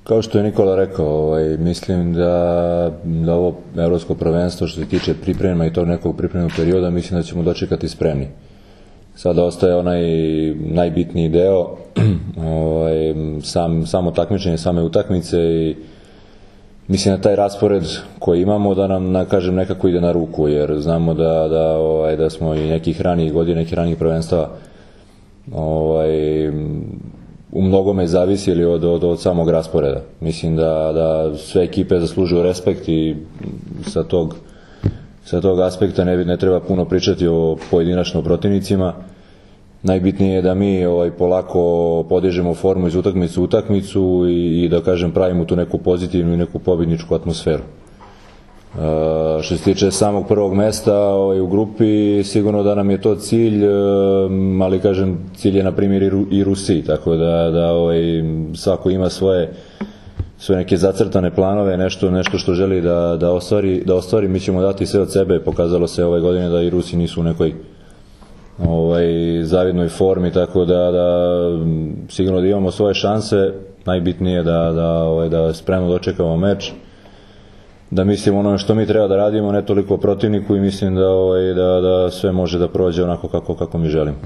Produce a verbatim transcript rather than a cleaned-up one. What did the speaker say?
Kao što je Nikola rekao, ovaj, mislim da, da ovo evropsko prvenstvo što se tiče priprema i tog nekog pripremnog perioda, mislim da ćemo dočekati spremni. Sada ostaje onaj najbitniji deo, ovaj, sam, samo takmičenje, same utakmice i mislim da taj raspored koji imamo da nam, na, kažem, nekako ide na ruku, jer znamo da, da, ovaj, da smo i nekih ranijih godina, nekih ranijih prvenstava ovaj, u mnogome zavisili od, od, od samog rasporeda. Mislim da, da sve ekipe zaslužuju respekt i sa tog, sa tog aspekta ne, ne treba puno pričati o pojedinačno protivnicima. Najbitnije je da mi ovaj, polako podižemo formu iz utakmicu u utakmicu i, i da kažem pravimo tu neku pozitivnu i neku pobjedničku atmosferu. Uh, što se tiče samog prvog mesta ovaj, u grupi, sigurno da nam je to cilj, uh, ali kažem cilj je na primjer i, Ru, i Rusiji, tako da, da ovaj, svako ima svoje, svoje neke zacrtane planove, nešto, nešto što želi da, da, ostvari, da ostvari, mi ćemo dati sve od sebe. Pokazalo se ove godine da i Rusi nisu u nekoj ovaj, zavidnoj formi, tako da, da sigurno da imamo svoje šanse. Najbitnije je da, da, ovaj, da spremno dočekamo meč, da mislimo ono što mi treba da radimo, ne toliko protivniku, i mislim da, ovaj, da, da sve može da prođe onako kako, kako mi želimo.